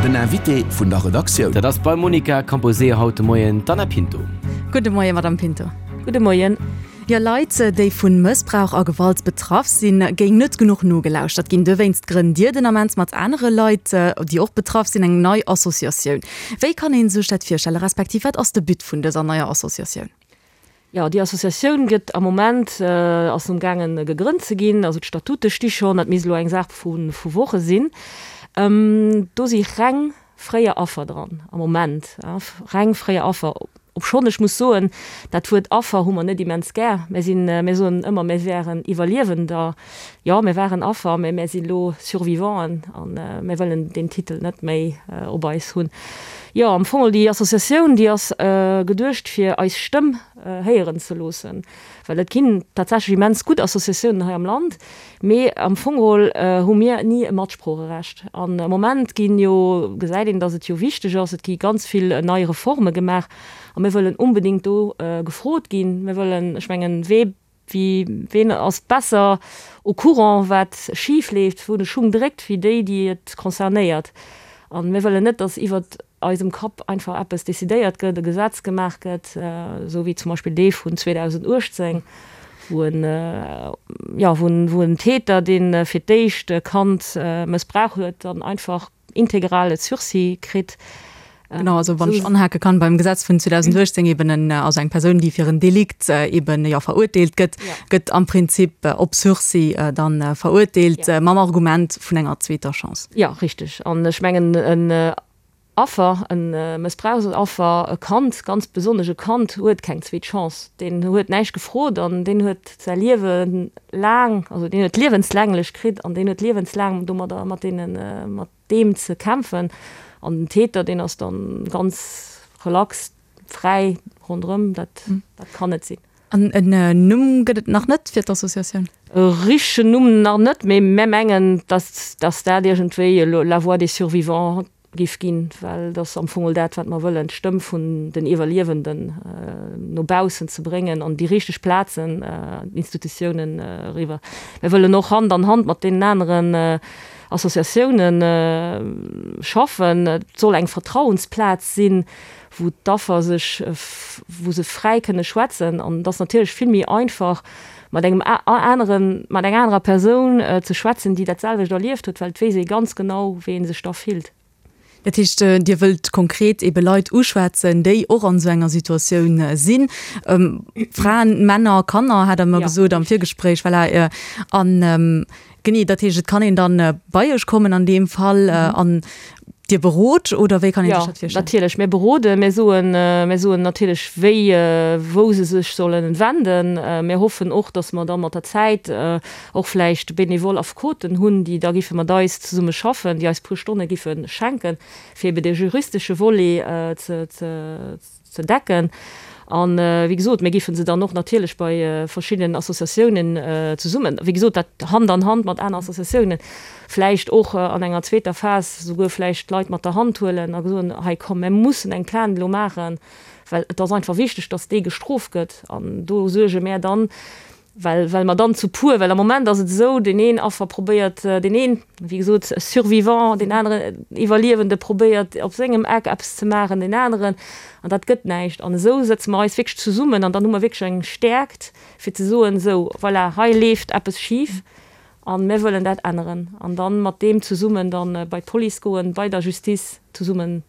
Den Invité vun der Redaktioun. Dat ass beim Monica Camposeo haut de Moien d'Anna Pinto. Gudde Moien, Madame Pinto. Gudde Moien. Jo, Leit, déi vu Mëssbrauch a Gewalt betraff sinn, géing net genuch nogelauschtert ginn. Dowéinst grënnt Dir den Ament mat anere Leit, déi och betraff sinn, eng nei Associatioun. Wéi kann ee sech dat virstellen, respektiv wat ass de But vun dëser neier Associatioun? Jo, déi Associatioun gëtt am Moment, ass um gaangen gegrënnt ze ginn. Also d'Statute sti schonn, dat misst elo eng Saach vu Woche sinn. Do si reng fréier Affer dran am Moment, reng fréier Affer. Obschonn ech muss soen, dat Wuert Affer hu mer net immens gär. Mär sinn, mär soen ëmmer, mär wären Iwwerliewender. Jo, mär waren Affer, mä mär si lo Survivanten a mär wëllen deen Titel net méi op eis hunn. Jo, am Fong déi Associatioun, déi ass geduecht fir eis Stëmm héieren ze loossen, well et ginn tatsächlech immens gutt Associatiounen hei am Land, Mee am Fong geholl hu mir ni e Matsproocherecht. An am Moment ginn jo, gesäit een, datt et jo wichteg ass, et gi ganz vill nei Reforme gemaach a mir wëllen onbedéngt do gefrot ginn. Mir wëllen, ech mengen, wee wéi ween ass besser au courant, wat schif leeft, wou de Schung dréckt, wéi déi, déi et concernéiert. A mir wëllen net, datt iwwert eisem Kapp einfach eppes decidéiert gëtt, e Gesetz gemaach gëtt, esou wéi zum Beispill dee vun 2018, wou en, jo, wou en Täter, dee fir d'éischt e Kand mëssbrauch huet, dann einfach integral e Sursis kritt. Genau, also wann ech anhake kann, beim Gesetz vun 2018 eben en, also eng Persoun, déi fir en Delikt eben, jo, verurteelt gëtt, gëtt am Prinzip op Sursis dann verurteelt, mam Argument vun enger zweeter Chance. Jo, richteg. An ech mengen, en Affer, e Mëssbrauchsaffer, e Kand, ganz besonnesch e Kand, huet keng zweet Chance. Deen huet näischt gefrot an deen huet säi Liewe laang, also deen huet liewenslänglech kritt an deen huet liewenslaang domadder, mat deenen, mat deem ze kämpfen. An den Täter, deen ass dann ganz relax fräi ronderëm. Dat, dat kann net sinn. An en Numm gëtt et nach net fir d'Associatioun? E richtegen Numm nach net, mee mär mengen, dass, dass dat iergendwéi elo La voix des survivants giff ginn, well et ass am Fong dat, wat mer wëllen, d'Stëmm vun den Iwwerliewenden no baussen ze bréngen an déi richteg Plazen, d'Institutiounen eriwwer. Mir wëllen och Hand an Hand mat deenen aneren Associatiounen schaffen. Et soll eng Vertrauensplaz sinn, wou d'Affer sech, wou se fräi kënne schwätzen. An et ass natierlech vill méi einfach, mat engem aneren, mat enger anerer Persoun ze schwätzen, déi dat selwecht erlieft huet, well et weess ee ganz genau, wéi ee sech da fillt. Dat heescht, Dir wëllt konkret ebe Leit uschwätzen, déi och an esou enger Situatioun sinn, Fraen, Männer, Kanner, hat Der mer gesot am Virgespréich, voilà. An Genee, dat heescht, et kann een dann bei Iech kommen an deem Fall an Dir berot, oder wéi kann een sech dat virstellen? Jo, natierlech, mir beroden, mir soen, mir soen natierlech wéi, wou se sech sollen wenden. Mir hoffen och, datt mer da mat der Zäit och vläicht benevol Affekoten hunn, déi da giffe mat eis zesumme schaffen, déi eis puer Stonne giffe schenken, fir ebe de juristesche Volet ze, ze, ze decken. An, wéi gesot, mir géife se dann och natierlech bei verschiddenen Associatiounen zesummen, wéi gesot, dat Hand an Hand mat aner Associatiounen, vläicht och an enger zweeter Phas souguer vläicht d'Leit mat der Hand huelen a soen, hei komm, mir mussen eng Plainte elo maachen, well et ass einfach wichteg, dass dee gestrooft gëtt. An do suerge mär dann, Well, well mer dann zu puer, well am Moment ass et esou, deen een Affer probéiert, deen een, wéi gesot, Survivant, deen aneren Iwwerliewende probéiert op sengem Eck eppes ze maachen, deen aneren, an dat gëtt näischt. An esou sëtze mer eis wierklech zesummen an dann hu mer wierklech eng Stäerkt, fir ze soen, esou, voilà, hei leeft eppes schif a mir wëllen dat änneren. An dann mat deem zesummen dann bei d'Police goen, bei der Justice zesummen,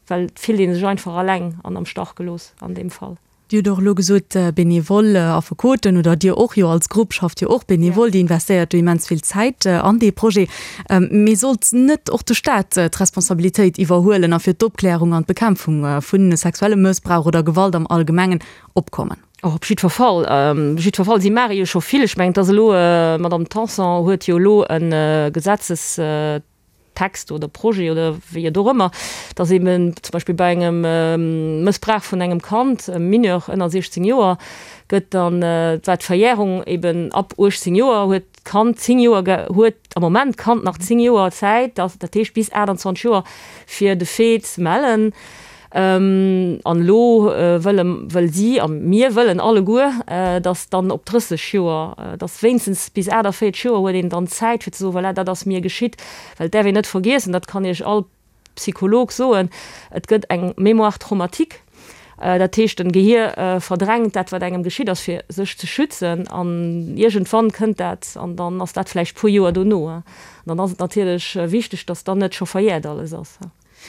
well et fillt ee sech einfach alleng an am Stach gelooss an deem Fall. Dir hutt och elo gesot, benevol Affekoten, oder Dir och jo als Grupp schafft jo och benevol, Dir investéiert do immens vill Zäit an dee Projet. Mee sollt net och de Staat d'Responsabilitéit iwwerhuelen a fir d'Opklärung an d'Bekämpfung vu sexuellem Mëssbrauch oder Gewalt am Allgemengen opkommen? Oh, op jiddwer Fall, op jiddwer Fall. Si maache jo scho vill. Ech mengen, et ass elo, d'Madame Tanson huet jo elo e Gesetzes, Text oder Projet oder wéi et och ëmmer, dass eben zum Beispill bei engem Mëssbrauch vun engem Kand, e Mineur ënner 16 Joer, gëtt dann, war d'Verjährung eben ab 18 Joer, huet d'Kand 10 Joer, huet am Moment d'Kand nach 10 Joer Zäit, dat heescht bis 28 Joer, fir de Fait ze mellen. An elo wëlle, wëll si a mir wëllen alleguer, datt dann op 30 Joer, datt wéinstens bis 48 Joer huet een dann Zäit fir ze soen, voilà, dat ass mir geschitt. Well et däerf een net vergiessen, dat kann Iech all. Psycholog soen, et gëtt eng Mémoire traumatique. Dat heescht, den Gehier verdrängt dat, wat engem geschitt ass, fir sech ze schützen. An iergendwann kënnt dat, an dann ass dat vläicht puer Joer dono. An dann ass et natierlech wichteg, dass dann net scho verjährt alles ass.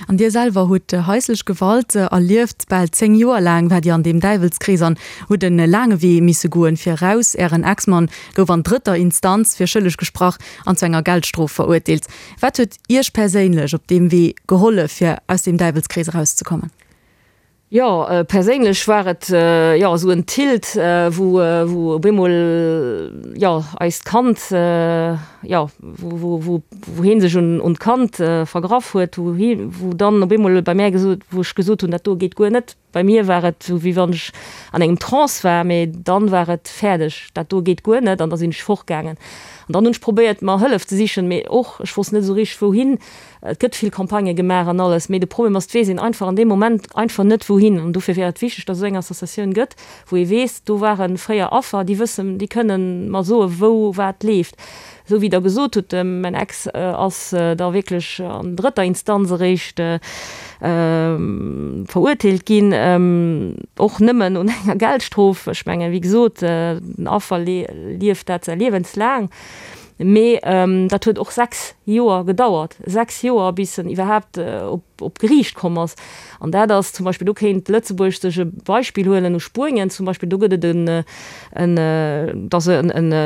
An Dir selwer hutt haislech Gewalt erlieft. Bal 10 Joer laang waart Dir an deem Däiwelskrees an hutt e laange Wee misse goen, fir eraus. Ären Ex-Mann gouf an drëtter Instanz fir schëlleg gesprach an zu enger Geldstrof verurteelt. Wat huet Iech perséinlech op deem Wee gehollef, fir aus deem Däiwelskrees erauszekommen? Jo, perséinlech war et jo esou en Tilt, wou wou op eemol jo eist Kand jo wou wou wou wou hie sech un un d'Kand vergraff huet, wou hie wou dann op eemol bei mär gesot wou ech gesot hunn, dat do geet guer net. Bei mir war et esou wéi wann ech an engem Trance war, mee dann war et fäerdeg, dat do geet guer net an da sinn ech fortgaangen. An dann hunn ech probéiert mer Hëllef ze sichen, mee och ech wosst net esou richteg wouhin. Et gëtt vill Campagnë gemaach an alles, mee de Problem ass, et weess een einfach an deem Moment einfach net wouhin. An dofir wär et wichteg, datt esou eng Associatioun gëtt, wou ee weess, do ware fréier Affer, déi wëssen, déi kënnen mer soe wou wat leeft. Esou wéi Der gesot hutt, mäin Ex ass da wierklech an drëtter Instanz eréischt verurteelt ginn, och nëmmen un enger Geldstrof. Ech mengen, wéi gesot, den Affer lieft dat säi liewenslaang. Mee dat huet och 6 Joer gedauert, 6 Joer, bis en iwwerhaapt op Geriicht komm ass. An dat ass zum Beispill, do kéint Lëtzebuerg sech e Beispill huelen u Spuenien zum Beispill, do gëtt et en, dass e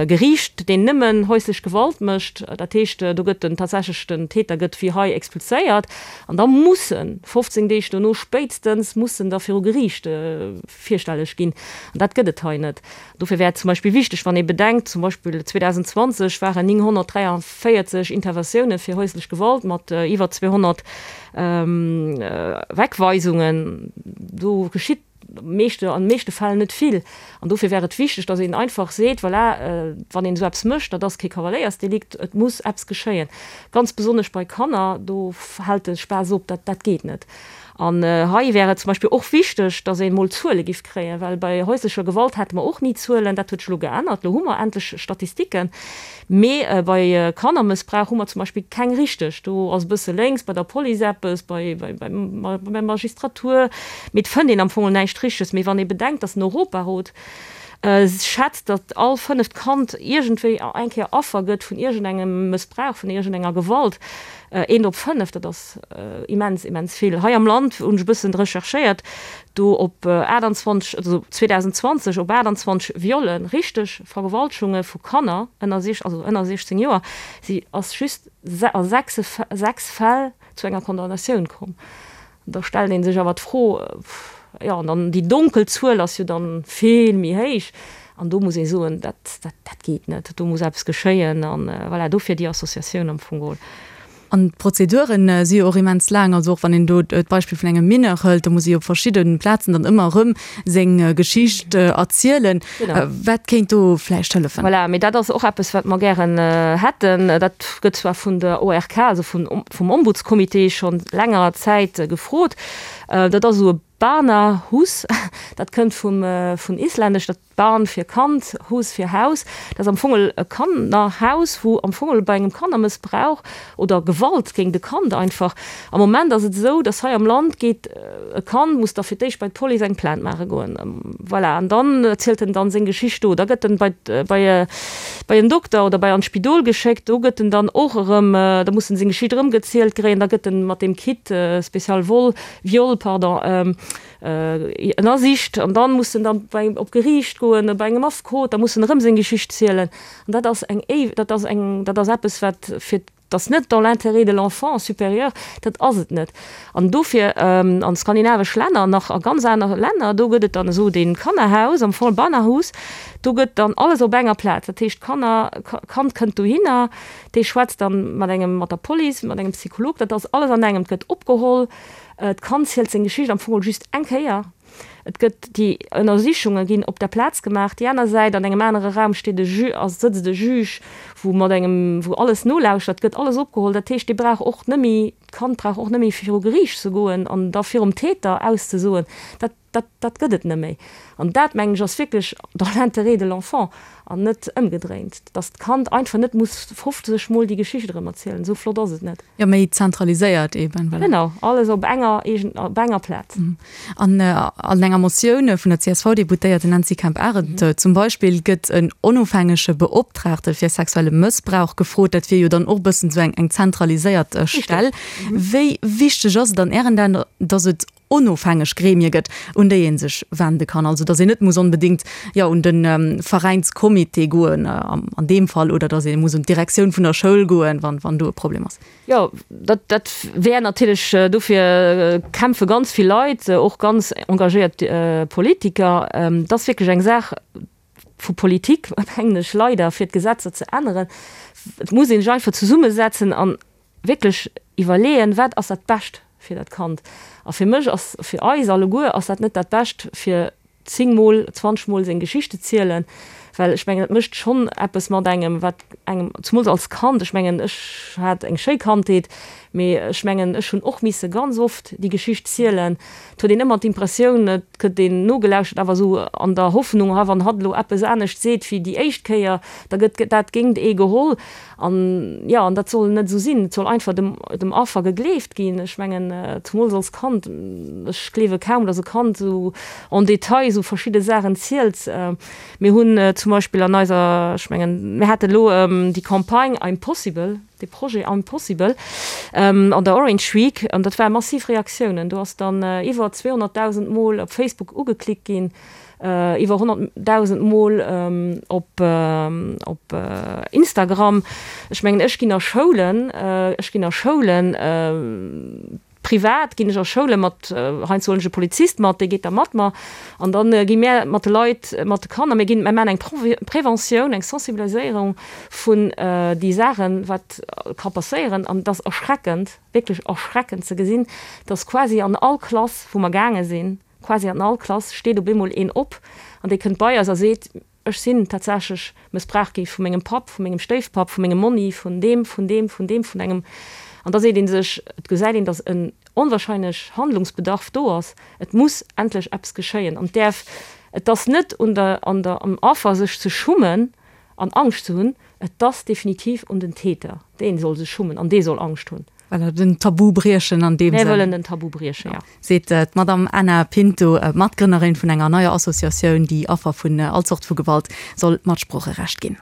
Geriicht, deen nëmmen häuslech Gewalt mécht. Dat heescht, do gëtt den tatsächlech den Täter gëtt wéi hei expulséiert an da muss en 15 Deeg dono spéitstens muss en da viru Geriicht virstelleg ginn. An dat gëtt et hei net. Dofir wär et zum Beispill wichteg, wann ee bedenkt, zum Beispill 2020 waren 943 Interventioune fir häuslech Gewalt mat iwwer 200 Wegweisungen, do geschitt meeschte, an de meeschte Fäll net vill. An dofir wär et wichteg, datt een einfach seet, voilà, wann een esou eppes mécht, dat ass kee Kavaléiersdelikt, et muss eppes geschéien. Ganz besonnesch bei Kanner, do hält de Spaass op, dat, dat geet net. An hei wär et zum Beispill och wichteg, dass een emol Zuele giff kréien, well bei häuslecher Gewalt hate mer och ni Zuelen. Dat huet sech elo geännert, elo hu mer endlech Statistiken. Mee bei Kannermëssbrauch hu mer zum Beispill keng richteg. Do ass e bësse lénks bei der Police eppes, bei der Magistratur, mee et fënnt een am Fong näischt Richteges. Mee wann ee bedenkt, dass den Europarot schätzt, datt all fënneft Kand iergendwéi eng Kéier Affer gëtt vun iergendengem Mëssbrauch, vun iergendenger Gewalt, eent op fënnef, dat ass immens, immens vill. Hei am Land hunn ech e bëssen recherchéiert, do op 28, also 2020 op 28 Viollen, richteg Vergewaltegunge vu Kanner ënner, also ënner 16 Joer, si ass just a 6 Fäll zu enger Condamnatioun komm. Da stellt ee sech awer d'Fro, jo, an dann déi donkel Zuel ass jo dann vill méi héich. An do muss ee soen, dat, dat, dat geet net, do muss eppes geschéien. An voilà, dofir déi Associatioun am Fong geholl. An d'Prozeduren si jo och immens laang. Also och wann een do d'Beispill vun engem Mineur hëlt, do muss ee jo op verschidde Plazen dann ëmmer erëm seng Geschicht erzielen. Wat kéint do vläicht hëllefen? Voilà, mee dat ass och eppes, wat mer gären hätten. Dat gëtt zwar vun der ORK, also vun, vum Ombudscomité, scho längerer Zäit gefrot. Dat ass esou e Barnahus, dat kënnt vum, vun Islännesch, dat Barn fir Kand, Hus fir Haus. Dat ass am Fong e Kannerhaus, wou am Fong bei engem Kannermëssbrauch oder Gewalt géint e Kand einfach, am Moment ass et esou, dass hei am Land geet e Kand, muss da fir d'éischt bei d'Police eng Plainte maache goen, voilà, an dann erzielt en dann seng Geschicht do. Da gëtt en bei, bei, bei en Dokter oder bei an d'Spidol geschéckt, do gëtt en dann och erëm, da muss en seng Geschicht erëm gezielt kréien, da gëtt en mat deem Kit spécial vol, Viol, pardon, ënnersicht an dann muss en dann bei, op Geriicht goen, bei engem Affekot, da muss en erëm seng Geschicht zielen. An dat ass eng éiw, dat ass eng, dat ass eppes wat fir, dat ass net dans l'intérêt de l'enfant supérieur, dat ass et net. An dofir an skandinavesch Länner, nach a ganz aner Länner, do gëtt et dann esou dee Kannerhaus, am Fong Barnahus, do gëtt dann alles op enger Plaz. Dat heescht d'Kanner, d'Kand kënnt dohinner, dee schwätzt dann mat engem, mat der Police, mat engem Psycholog, dat ass alles an engem, et gëtt opgeholl, D'Kand zielt seng Geschicht am Fong just eng Kéier. Et gëtt, déi Ënnersichunge ginn op der Plaz gemaach. Déi aner Säit, an engem anere Raum steet e Ju, ass, sëtzt e Juge, wou mat engem, wou alles nolauschtert, gëtt alles opgeholl. Dat heescht, dee brauch och net méi. D'Kand brauch och net méi viru Geriicht ze goen an da virum Täter auszesoen. Dat, dat, dat gëtt et net méi. An dat, mengen ech, ass wierklech dans l'intérêt de l'enfant an net ëmgedréint, dass d'Kand einfach net muss 50 Mol déi Geschicht erëm erzielen. Esou flott ass et net. Jo, méi zentraliséiert eben, voilà. Genau, alles op enger, op enger Plaz. An an enger Motioun vun der CSV-Deputéierten Nancy Kemp-Arendt zum Beispill gëtt en onofhängege Beoptraagte fir sexuelle Mëssbrauch gefrot. Dat wier jo dann och e bëssen esou eng zentraliséiert Stell. Wéi wichteg ass et an Ären Aen, datt et onofhängeg Gremie gëtt, un déi ee sech wende kann? Also datt een net muss onbedéngt, jo, un de Veräinscomité goen an deem Fall oder datt ee muss un d'Direktioun vun der Schoul goen, wann do e Problem ass. Jo, dat, dat wär natierlech, dofir kämpfe ganz vill Leit, och ganz engagéiert Politiker. Et ass wierklech eng Saach vu Politik, mengen ech, leider, fir d'Gesetzer ze änneren. Et muss ee sech einfach zesummesetzen an wierklech iwwerleeën, wat ass dat Bescht fir dat Kand. A fir mech ass, fir eis alleguer ass dat net dat Bescht, fir 10 mol, 20 mol seng Geschichte zielen, well ech mengen, dat mécht schonn eppes mat engem, wat engem, zumools als Kand, ech mengen, ech hat eng schéi Kandheet, mee ech mengen, ech hunn och misse ganz oft déi Geschicht zielen. Et huet een ëmmer d'Impressioun, et gëtt een nogelauschtert, awer esou an der Hoffnung, ha wann hatt elo eppes anescht seet wéi déi éischt Kéier, da gëtt dat géingt ee geholl. An, jo, an dat soll net esou sinn. Et soll einfach dem, dem Affer gegleeft ginn. Ech mengen, zumools als Kand, ech gleewe kaum, datt e Kand esou en détail esou verschidde Saachen zielt. Mir hunn zum Beispill an eiser, ech mengen, mir hate elo déi Campagne I'm possible, dee Projet I'm possible an der Orange Week, an dat ware massiv Reaktiounen. Do ass dann iwwer 200.000 Mol op Facebook ugeklickt ginn. Iwwer 100.000 Mol op op Instagram. Ech mengen, ech ginn a Schoulen, ech ginn a Schoulen, privat ginn ech a Schoule mat, heiansdo huelen ech e Polizist mat, dee geet da mat mer. An da gi mär mat de Leit, mat de Kanner, mir ginn, mir maachen eng Preventioun, eng Sensibiliséierung vun déi Saachen, wat ka passéieren. An et ass erschreckend, wierklech erschreckend ze gesinn, dass quasi an all Klass, wou mer gaange sinn, Quasi an all Klass steet op eemol een op an dee kënnt bei eis a seet, Ech sinn tatsächlech mëssbraucht gi vu mengem Papp, vu mengem Stéifpapp, vu mengem Monni, vun deem, vun deem, vun deem, vun engem. An da seet ee sech, et gesäit een, datt en onwahrscheinlech Handlungsbedarf do ass, et muss endlech eppes geschéien an et däerf, et ass net un der, an der, am Affer sech ze schummen an Angscht ze hunn, et ass definitiv un den Täter, dee soll sech schummen an dee soll Angscht hunn. Voilà, den Tabu briechen an deem Sënn. Mir wëllen den Tabu briechen, jo. Seet d'Madamm Ana Pinto, Matgrënnerin vun enger neier Associatioun, déi Affer vun all Zort vu Gewalt soll Matsproocherecht ginn.